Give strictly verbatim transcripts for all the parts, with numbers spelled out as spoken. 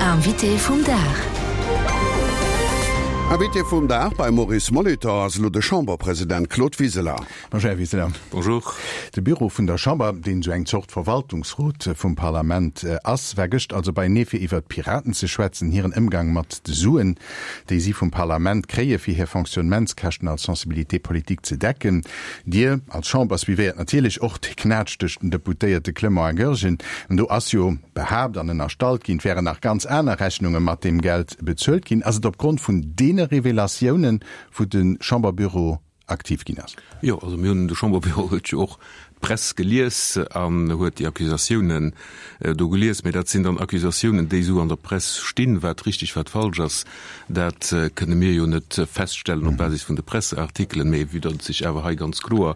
Invité vum Dag. Invité vum Dag beim Maurice Molitor ass elo de Chamberpresident Claude Wiseler. Bonjour, Här Wiseler. Bonjour. De Büro vun der Chamber, deen esou eng Zort Verwaltungsrot vum Parlament ass, war gëscht also beienee fir iwwert d'Piraten ze schwätzen, hiren Ëmgang mat de Suen, déi si vum Parlament kréie fir hir Fonctionnementskäschten als Sensibilité politique ze decken. Dir als Chamber suivéiert natierlech och de Knätsch tëscht den Deputéierte Clement a Goergen. An do ass jo behaapt an ënnerstallt ginn, et wären nach ganz aner Rechnunge mat deem Geld bezuelt ginn. Ass et opgrond vun deene Revelatiounen, wou de Chamberbüro aktiv ginn ass? Jo, also mir hunn, de Chamberbüro huet jo och d'Press gelies an huet déi Accusatiounen do gelies. Mee dat sinn dann Accusatiounen, déi esou an der Press stinn. Wat richtig, wat falsch ass, dat kënne mir jo net feststellen op Basis vun de Presseartikelen. Mee vue datt et sech awer hei ganz kloer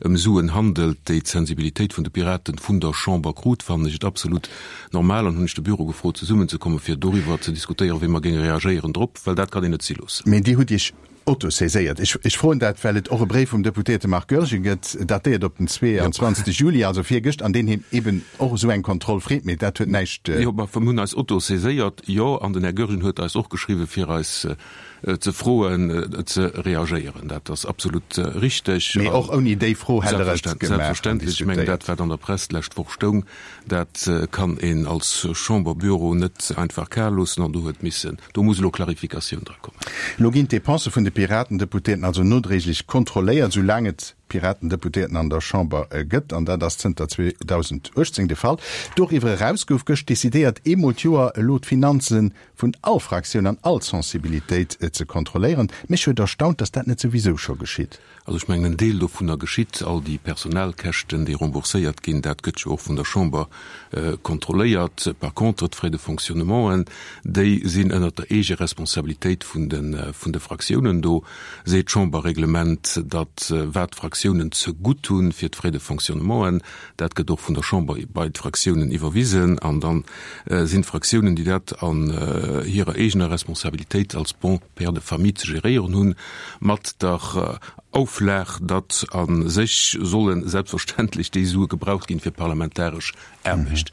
ëm Suen handelt, déi d'Sensibilitéit vun de Piraten vun der Chamber krut, fannen ech et absolut normal an hunn ech de Büro gefrot, zesummenzekommen, fir doriwwer ze diskutéieren, wéi mer géinge reagéieren drop, well dat kann een net si loossen. Mee Dir hutt Iech autosaiséiert. Ech froen dat, well et och e Bréif vum Deputéierte Marc Goergen gëtt, datéiert op den zweeanzwanzeg Juli, also virgëscht, an deen hien eben och esou eng Kontroll freet. Mee dat huet näischt. Jo, ma mir hunn eis autosaiséiert, jo, an den Här Goergen huet eis och geschriwwen, fir eis ze froen, ze reagéieren. Dat ass absolut richteg. Mee och ouni déi Fro hätt Der et gemaach an Selbstverständlech. Ech mengen, diskutéiert. dat, wat an der Press d'lescht Woch stoung, dat kann een als Chamberbüro net einfach kal loossen an do huet missen, do muss elo Clarificatioun dra kommen. Elo ginn d'Depensë vun de Piraten-Deputéierten also nodréiglech kontrolléiert, sou laang et Piraten-Deputéierten an der Chamber gëtt, an dat ass zënter zweedausenduechtzéng de Fall. Doriwwer eraus gouf gëscht decidéiert, eemol d'Joer elo d'Finanze vun all Fraktioun an all Sensibilitéit ze kontrolléieren. Mech huet erstaunt, datt dat net souwisou scho geschitt. Also ech mengen, en Deel dovunner geschitt. All déi Personalkäschten, déi rembourséiert ginn, dat gëtt jo och vun der Chamber kontrolléiert. Par contre, d'Frais de fonctionnementen, déi sinn ënnert der Eegeresponsabilitéit vun de, vun de Fraktiounen. Do seet d'Chamberreglement, datt wat d'Fraktiounen zegutt hunn fir d'Frais de fonctionnementen, dat gëtt och vun der Chamber bei d'Fraktiounen iwwerwisen. An da sinn d'Fraktiounen, déi dat an hirer eegener Responsabilitéit als bon père de famille ze geréieren hunn, mat der Auflag, datt a sech solle selbstverständlech déi Sue gebraucht ginn fir parlamentaresch Aarbecht.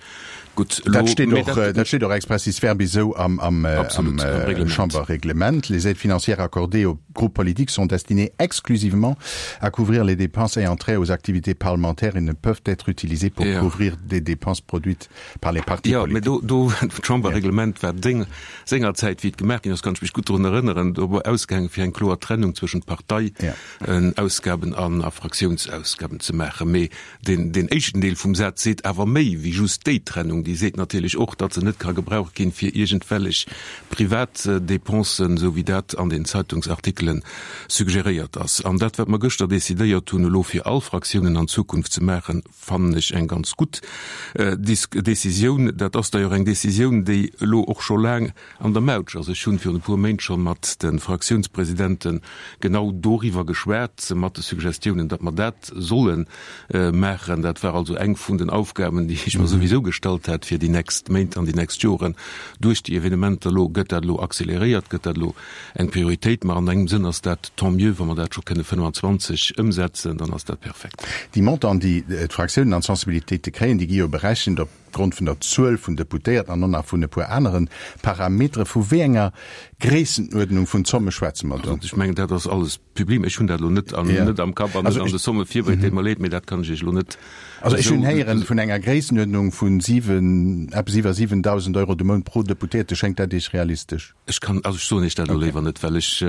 Gutt, elo, Dat steet mee och, dat. dat steet och expressis verbis esou am, am, Absolut, am am Reglement. Chamberreglement. Les aides financières accordées aux groupes politiques sont destinées exclusivement à couvrir les dépenses ayant trait aux activités parlementaires et ne peuvent être utilisées pour Ja. couvrir des dépenses produites par les partis Jo, mee politiques. do, do, d'Chamberreglement war deng, sengerzäit, wéi et gemaach ginn ass, kann ech mech gutt drun erënneren, do war ausgaangen, fir eng kloer Trennung zwëschent Partei, Ja. Ausgaben an a Fraktiounsausgaben ze maachen. Mee deen, deen éischten Deel vum Saz seet awer méi wéi just déi Trennung. Déi seet natierlech och, datt se net ka gebraucht ginn fir iergendwellech privat Dépensen, esou wéi dat an den Zeitungsartikelen suggeréiert ass. An dat, wat mer gëschter decidéiert hunn, elo fir all Fraktiounen an Zukunft ze maachen, fannen ech eng ganz gutt Décisioun. Dat ass d'ailleurs eng Décisioun, déi elo och scho laang an der Mautsch ass. Ech hunn virun e puer Méint scho mat de Fraktiounspresidente genau doriwwer geschwat, mat de Suggestiounen, datt mer dat solle maachen. Dat war also eng vun den Aufgaben, déi ech mer souwisou gestallt hat fir déi nächst Méint an déi nächst Joren. Duerch déi Evenementer elo gëtt dat elo accéléréiert, gëtt dat elo eng Prioritéit. Ma an engem Sënn ass dat tant mieux, wa mer dat scho kënne fënnfanzwanzeg ëmsetzen, dann ass dat perfekt. Déi Montanten, déi d'Fraktiounen an d'Sensibilitéite kréien, déi gi jo berechent op Grond vun der Zuel vun Deputéierten an och nach vun e puer anere Parametere. Vu wéi enger Gréissenuerdnung vun Zomme schwätze mer do? Also ech mengen, dat ass alles public. Ech hunn dat elo net an, net am Kapp an net an de Somme virbereet, deet mer leed, mee dat kann ech Iech elo net Also ech esou. hunn héieren vun enger Gréissenuerdnung vun siwen, eppes iwwer siwendausend Euro de Mount pro Deputéierte. Schéngt dat Iech realistesch? Ech kann, also ech soen Iech dat elo léiwer net, well ech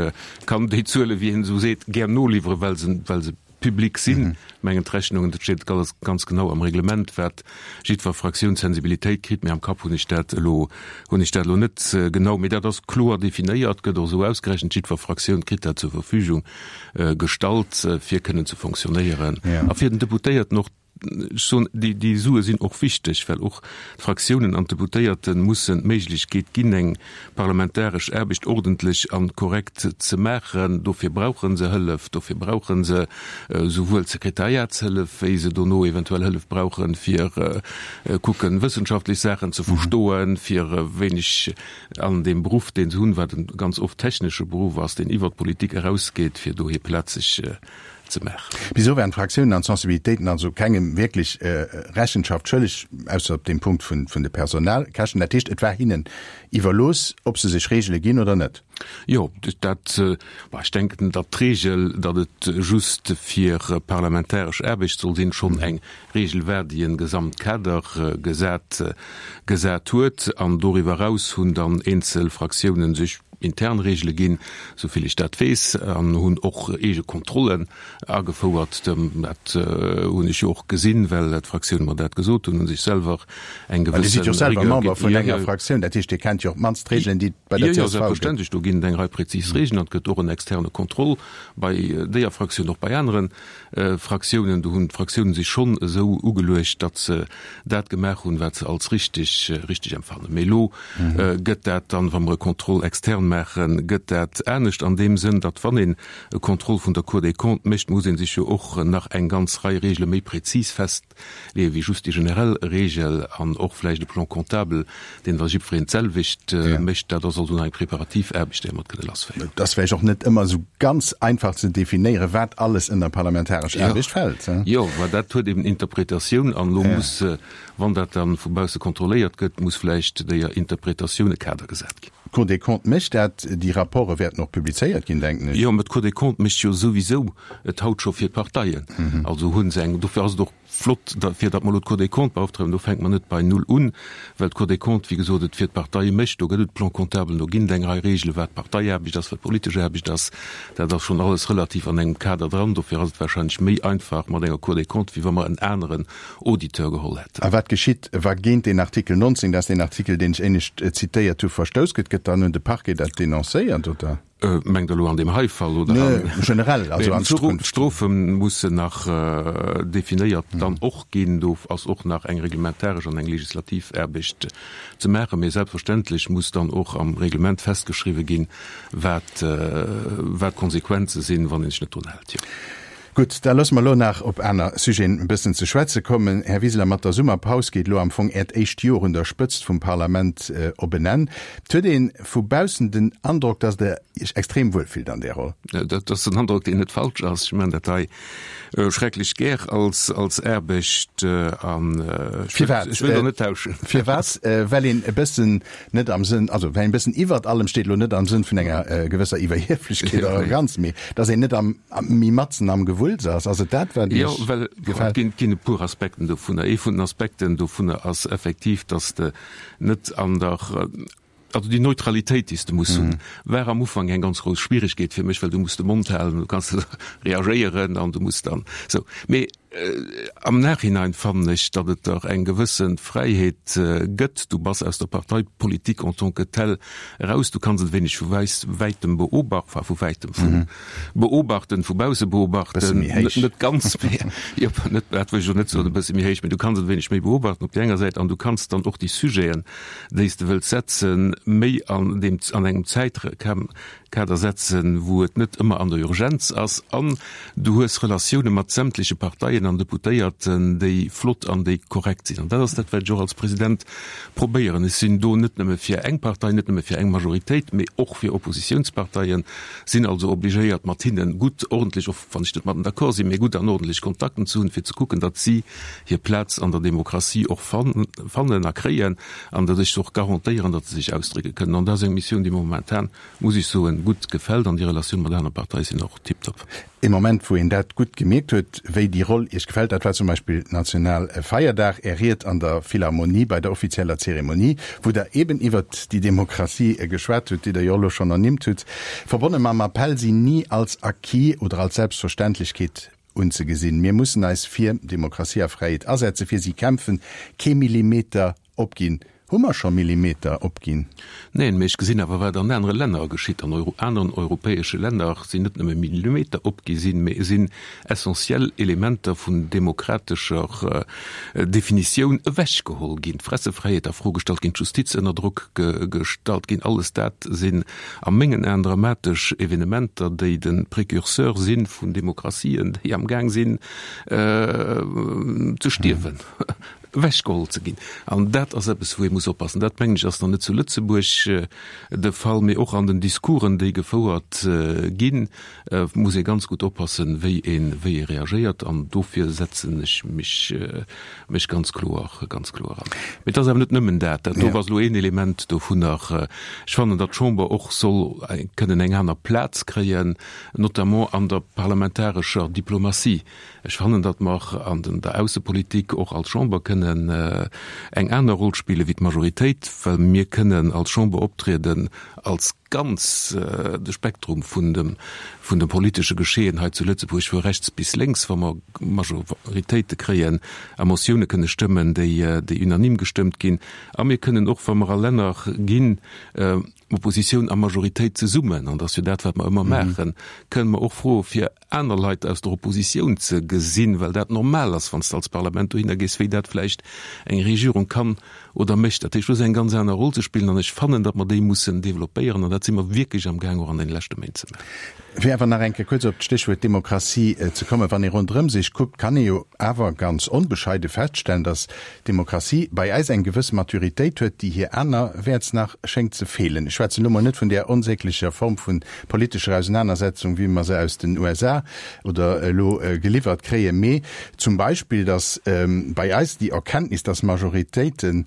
kann déi Zuele, wéi een esou seet, gär noliwweren, well se, well se public sinn. Ech mengen d'Rechnungen, dat steet alles ganz genau am Reglement, wat jiddwer Fraktioun d'Sensibilitéit kritt, mee am Kapp hunn ech dat elo, hunn ech dat elo net genau. Mee dat ass kloer definéiert, gëtt och esou ausgerechent, jiddwer Fraktioun kritt dat zur Verfügung gestallt, fir kënnen ze fonctionnéieren a fir den Deputéierten och, ech soen, déi, déi Sue sinn och wichteg, well och d'Fraktiounen an d'Deputéierte mussen d'Méiglechkeet ginn, eng parlamentaresch Aarbecht ordentlech a korrekt ze maachen. Dofir brauche se Hëllef, dofir brauche se souwuel Sekretariatshëllef, wéi se dono eventuell Hëllef brauchen, fir kucken, wëssenschaftlech Saachen ze verstoen, fir e wéineg an deem Beruff, deen se hunn, wat e ganz oft technesche Beruff ass, deen iwwert d'Politik erausgeet, fir do hir Plaz sech ze maachen. Bis elo waren d'Fraktiounen an d'Sensibilitéiten also kengem wierklech Rechenschaft schëlleg, ausser op deem Punkt vun de Personalkäschten. Dat heescht, et war hinnen iwwerlooss, ob se sech Reegele ginn oder net. Jo, dat, ech denken, datt d'Reegel, datt et just fir parlamentaresch Aarbecht soll sinn, schonn eng Reegel war, déi e Gesamtkader gesat gesat huet. An doriwwer eraus hunn dann eenzel Fraktiounen sech intern Reegele ginn, souvill ech dat weess, an hunn och eege Kontrollen agefouert. Dat hunn ech jo och gesinn, well d'Fraktioune mer dat gesot hunn, hu sech selwer eng gewësse. Dir sidd jo selwer Member vun enger Fraktioun, dat heescht, Dir kennt jo op d'mannst d'Reegelen, déi et bei der C S V gëtt. Jo, jo, selbstverständlech, do ginn et eng Rei prezis Reegelen an et gëtt och en externe Contrôle bei deeër Fraktioun, och bei anere Fraktiounen. Do hunn d'Fraktiounen sech schonn esou ugeluecht, datt se dat gemaach hunn, wat se als richtig, richtig empfannen. Mee elo gëtt dat dann, wa mer e Contrôle externe maachen, gëtt dat anescht an deem Sënn, datt wann een e Contrôle vun der Cour des Comptes mécht, muss ee sech jo och nach eng ganz Rei Regele méi prezis festleeën, wéi just déi generell Regel an och vläicht e Plan comptable, deen da jiddwereen d'selwecht mécht. Dat ass also nach eng preparativ Aarbecht, déi mer mat kënne lassféieren. Et ass vläicht och net ëmmer esou ganz einfach ze definéieren, wat alles ënner parlamentaresch Aarbecht fält. Jo, mä dat huet eben Interpretatioun an elo muss, wann dat da vu bausse kontrolléiert gëtt, muss vläicht déier Interpretatioun e Kader gesat ginn. D'Cour des Comptes mécht dat, déi Rapporte wäerten och publizéiert ginn, denken ech. Jo, mä d'Cour des Comptes mécht jo souwisou et haut scho fir d'Parteien. Also hu se eng, dofir ass et och flott, fir datt mer elo d'Cour des Comptes beauftragen, do fänke mer net bei Null un, well d'Cour des Comptes, wéi gesot, et fir d'Parteie mécht. Do gëtt et Plan-comptablen, do ginn et eng Rei Regele wat Parteiaarbecht ass, wat politesch Aarbecht ass. Dat ass schonn alles relativ an engem Kader dran. Dofir ass et wahrscheinlech méi einfach mat enger Cour des Comptes, wéi wa mer en aneren Auditeur geholl hätten. A wat geschitt, wa géint deen Artikel neunzehn, dat ass deen Artikel, deen ech éinescht zitéiert hu, verstouss gëtt? Gëtt dann un de Parquet dat denoncéiert, oder? Mengt Der elo an deem hei Fall oder an. Generell, also an Zukunft? D'Strofe mussen nach definéiert dann och ginn. Do ass och nach eng reglementaresch an eng legislativ Aarbecht ze maachen. Mee selbstverständlech muss dann och am Reglement festgeschriwwe ginn, wat d'Konsequenze sinn, wann ee sech net drun hält. Jo. Gutt, da loosse mer elo nach op aner Sujeten e bëssen ze schwätze kommen. Här Wiseler, mat der Summerpaus geet elo am Fong Äert éischt Joer un der Spëtzt vum Parlament op en Enn. Et huet ee vu baussen den Androck, datt Der Iech extrem wuel fillt an där Roll. Dat ass en Androck, deen net falsch ass. Ech maachen dat hei schrecklech gär als Aarbecht an ech wëll do net tauschen. Firwat? Well een e bëssen net am Sënn, also well een e bëssen iwwert allem steet, elo net am Sënn vun enger gewësser Iwwerhieflechkeet oder Arroganz, mee datt een net am méi matzen am Gewulls ass. Ass et dat, wat Iech gefält? Jo, well et ginn, ginn e puer Aspekten dovunner. Ee vun den Aspekten dovunner ass effektiv, datt s de net an der, also déi Neutralitéit, déi s de muss hunn, war am Ufank eng ganz grouss Schwieregkeet fir mech, well du muss de Mond halen, du kanns net reagéieren an du muss dann esou. Mee am Nachhinein fannen ech, datt et der eng gewësse Fräiheet gëtt. Du bass aus der Parteipolitik en tant que telle eraus. Du kanns et e wéineg vu wäitem beobachten, enfin vu wäitem, vu beobachten, vu bausse beobachten, net ganz, mee jo, net, dat wëll ech elo net soen, e bësse méi héich, mee du kanns et e wéineg méi beobachten op där enger Säit an du kanns dann och déi Sujeten, déi s de wëlls setzen, méi an deem, an engem Zäitkader setzen, wou et net ëmmer an der Urgenz ass an du hues Relatioune mat sämtleche Parteien an Deputéierten, déi flott an déi korrekt sinn. An dat ass dat, wat ech och als President probéieren. Ech sinn do net nëmme fir eng Partei, net nëmme fir eng Majoritéit, mee och fir Oppositiounsparteien, sinn also obligéiert, mat hinne gutt, ordentlech, och wann ech net mat d'accord sinn, mee gutt an ordentlech Kontakten ze hunn, fir ze kucken, datt si hir Plaz an der Demokratie och fannen a kréien an datt ech se och garantéieren, datt se sech ausdrécke kënnen. An dat ass eng Missioun, déi mer momentan, muss ech soen, gutt gefält an déi Relatioune mat anere Parteie sinn och tiptop. Ee Moment, wou een dat gutt gemierkt huet, wéi déi Roll Iech gefält, dat war zum Beispill Nationalfeierdag, Är Ried an der Philharmonie bei der offizieller Zeremonie, wou Der eben iwwert déi Demokratie geschwat hutt, déi Der jo elo schonn ernimmt hutt, verbonne mam Appell, si ni als Acquis oder als Selbstverständlechkeet unzegesinn. Mir mussen eis fir Demokratie a Fräiheet asetzen, fir si kämpfen, kee Millimeter opginn. Hu mer scho Millimeter opginn? Neen, mee ech gesinn awer, wat an anere Länner geschitt. An aneren europäesche Länner sinn net nëmme Millimeter opgi sinn, mee et sinn essentiell Elementer vun demokratescher Definitioun ewechgeholl ginn, d'Pressefräiheet a Fro gestallt ginn, d'Justiz ënner Drock gestallt ginn. Alles dat sinn a mengen Aen dramatesch Evenementer, déi de Précurseur si vun Demokratien, déi amgaang sinn ze stierwen. ewechgeholl ze ginn. An dat ass eppes, wou ee muss oppassen. Dat, mengen ech, ass nach net zu Lëtzebuerg de Fall, mee och an den Discoursen, déi gefouert ginn, muss ee ganz gutt oppassen, wéi ee wéi ee reagéiert. An dofir setzen ech mech mech ganz kloer ganz kloer an. Mee et ass awer net nëmmen dat. Dat do ass elo een Element dovunner. Ech fannen, datt d'Chamber och soll kënnen eng aner Plaz kréien, notamment an der parlamentarescher Diplomatie. Ech fannen, datt mer an der Aussepolitik och als Chamber kënnen eng aner Roll spille wéi d'Majoritéit, well mir kënnen als Chamber optrieden als ganz de Spektrum vun dem vun dem politesche Geschehen hei zu Lëtzebuerg, vu rechts bis lénks, wa mer Majoritéite kréien a Motioune kënne stëmmen, déi déi unanime gestëmmt ginn. A mir kënnen och, wa mer a Länner ginn, Oppositioun a Majoritéit zesummen, an dat ass jo dat, wat mer ëmmer maachen, kënnen mer och froe fir aner Leit aus der Oppositioun ze gesinn, well dat normal ass, wann s de als Parlament dohinner gees, wéi dat vläicht eng Regierung kann oder mécht. Dat heescht, do ass eng ganz aner Roll ze spillen an ech fannen, datt mer déi mussen developpéieren an dat si mer wierklech amgaang och an deene leschte Méint ze maachen. Fir awer nach eng Kéier kuerz op d'Stéchwuert Demokratie ze kommen, Wann ee ronderëm sech kuckt, kann ee jo awer ganz onbescheide feststellen, datt d'Demokratie bei eis eng gewëss Maturitéit huet, déi hir anerwäerts nach schéngt ze feelen. Ech schwätzen elo mol net vun där onsäglecher Form vu politescher Ausenanersetzung, wéi mer se aus den U S A oder elo geliwwert kréien, mee zum Beispill, datt bei eis déi Erkenntnis, datt Majoritéite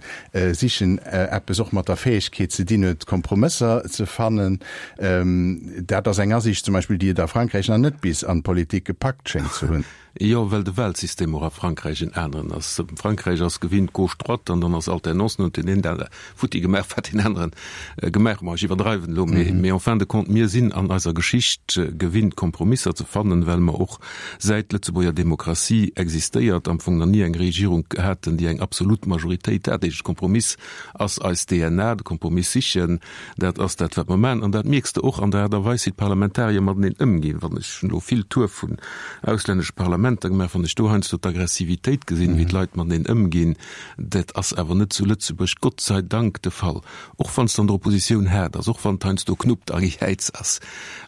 sichen, eppes och mat der Fäegkeet ze dinn huet, Kompromësser ze fannen. Dat ass eng Asiicht zum Beispill, déi et a Frankräich nach net bis an d'Politik gepackt schéngt ze hunn. Jo, well de Wahlsystem och a Frankräich en aneren ass. Frankräich ass gewinnt gauche-droite an dann ass Alternance, dann huet deen een dat futti gemaach, wat deen aneren gemaach huet. Ma ech iwwerdreiwen elo, mee, mee en fin de compte, mir sinn an eiser Geschicht gewinnt, Kompromisser ze fannen, well mer och, säit d'Lëtzebuerger Demokratie existéiert, am Fong nach ni eng Regierung haten, déi eng absolut Majoritéit hat. Dat heescht, Kompromiss ass eis D N A, de Kompromiss sichen, dat ass dat, wat mer maachen. An dat mierks de och an der Aart a Weis, wéi d'Parlamentarier mateneen ëmginn. Wann ech elo vill Tour vun auslännesche Parlamenter gemaach, wann ech do heiansdo d'Aggressivitéit gesinn, wéi d'Leit mateneen ëmginn, dat ass awer net zu Lëtzebuerg, Gott sei Dank, de Fall. Och wann s de an der Oppositioun haart ass, och wann et heiansdo knuppt a gejäiz ass,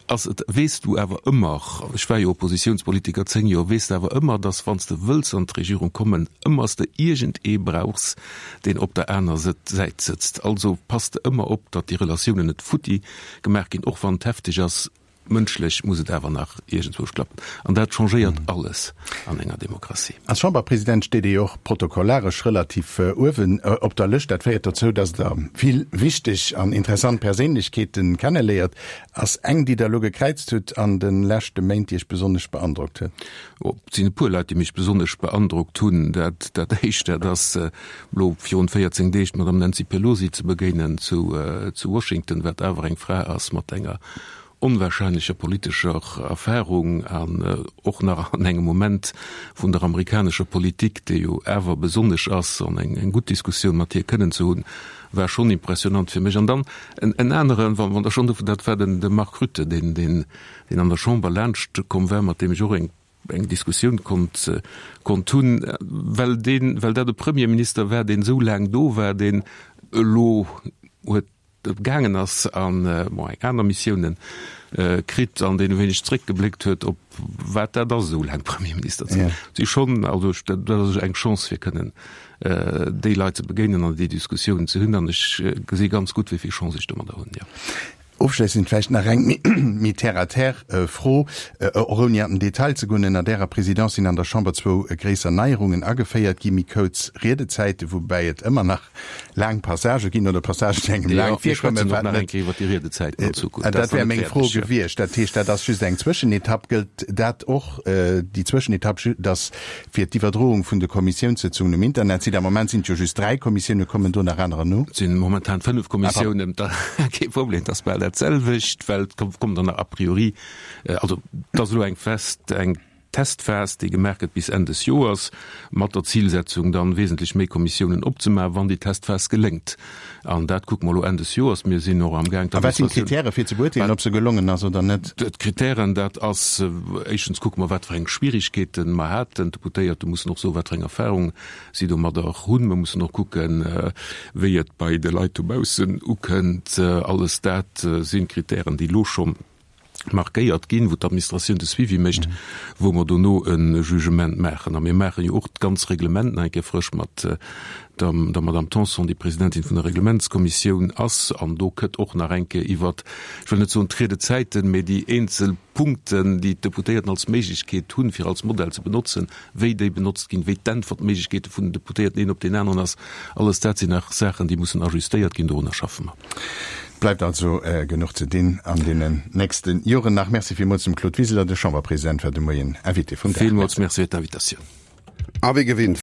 ass et, weess du awer ëmmer, ech war jo Oppositiounspolitiker zéng Joer, weess de awer ëmmer, dass wann s de wëlls an d'Regierung kommen, ëmmer s de iergendee brauchs, deen op der aner Säit sëtzt. Also pass de ëmmer op, datt déi Relatiounen net futti gemaach ginn, och wann et hefteg ass. Mënschlech muss et awer nach iergendzwousch klappen. An dat changéiert alles an enger Demokratie. Als Chamberpresident steet Dir jo och protokollaresch relativ uewen op der Lëscht. Dat féiert dozou, datt Der vill wichteg an interessant Perséinlechkeete kenneléiert. Ass eng, déi Der elo gekräizt hutt an de leschte Méint, déi Iech besonnesch beandrockt huet? Oh, et sinn e puer Leit, déi mech besonnesch beandrockt hunn. Dat, dat éischt, dat ass elo virun véierzéng Deeg d'Madame Nancy Pelosi ze begéinen zu, zu Washington, wat awer eng Fra ass mat enger onwahrscheinlecher politescher Erfahrung an och nach an engem Moment vun der amerikanescher Politik, dee jo awer besonnesch ass, an eng, eng gutt Diskussioun mat hir kënnen ze hunn, war schonn impressionant fir mech. An dann en, en aneren, wann, wann Der schonn dovun, dat war den, de Mark Rutte, deen, deen, deen an der Chamber laanscht komm war, mat deem ech och eng, eng Diskussioun konnt, konnt hunn, well deen, well dat e Premierminister war, deen esou laang do war, deen elo huet gaangen ass an bon eng aner Missiounen kritt an deen e wéineg zréckgebléckt huet op wat dat ass esou laang Premierminister ze sinn. Si schonn, also dat ass eng Chance fir kënnen déi Leit ze begéinen an déi Diskussiounen ze hunn an ech gesi ganz gutt wéi vill Chance ech domadder hunn, jo. Ofschléissend vläicht nach eng méi terre à terre Fro, och ouni an den Detail ze goen. Ënner Ärer Présidence sinn an der Chamber zwou gréisser Neierungen ageféiert gi, méi kuerz Riedezäiten, woubäi et ëmmer nach laang Passagë ginn oder Passagen, déi engem laang virkommen, wat net. Dat wär meng Fro gewiescht. Dat heescht, dat ass just eng Zwëschenetapp. Gëllt dat och, déi Zwëschenetapp, dass fir d'Iwwerdroung vun de Kommissiounssëtzungen um Internetsite? Am Moment sinn et jo just dräi Kommissiounen, kommen do nach anerer no? Et sinn momentan fënnef Kommissiounen. Kee Problem, et ass bal dat selwecht, well et kommt dann nach a priori, also et ass elo eng fest, eng Testphas, déi gemaach gëtt bis Enn des Joers, mat der Zilsetzung dann wesentlech méi Kommissiounen opzemaachen, wann déi Testphas geléngt. An dat kucke mer elo Enn des Joers. Mir sinn och amgaang A wat sinn d'Kritäre fir ze beurteelen, ob se gelongen ass oder net? D'Kritären, dat ass, éischtens kucke mer, wat fir eng Schwierigkeete mer haten. D'Deputéierte mussen och soen, wat fir eng Erfahrung si domadder hunn. Mer mussen och kucken, wéi et bei de Leit dobaussen ukënnt. Alles dat sinn Kritären, déi elo schonn markéiert ginn, wou d'Administratioun de Suivi mécht, wou mer dono e Jugement maachen. A mir maache jo och d'ganz Reglement nach eng Kéier frësch mat der der Madame Tanson, déi Presidentin vun der Reglementskommissioun ass. An do kënnt och nach eng Kéier iwwert, ech wëll net soen d'Riedezäiten, mee déi eenzel Punkten, déi d'Deputéierten als Méiglechkeet hunn, fir als Modell ze benotzen, wéi déi benotzt ginn, wéi d'Äntwertméiglechkeete vun den Deputéierten een op deen aneren ass, alles dat sinn nach Saachen, déi mussen ajustéiert ginn. Dorunner schaffe mer. Et bleift also genuch ze dinn an deenen nächste Joren nach. Merci villmools dem Claude Wiseler, de Chamberpresident war de Moien Invité vum Dag. Villmools Merci fir d'Invitatioun. A wéi gewinnt.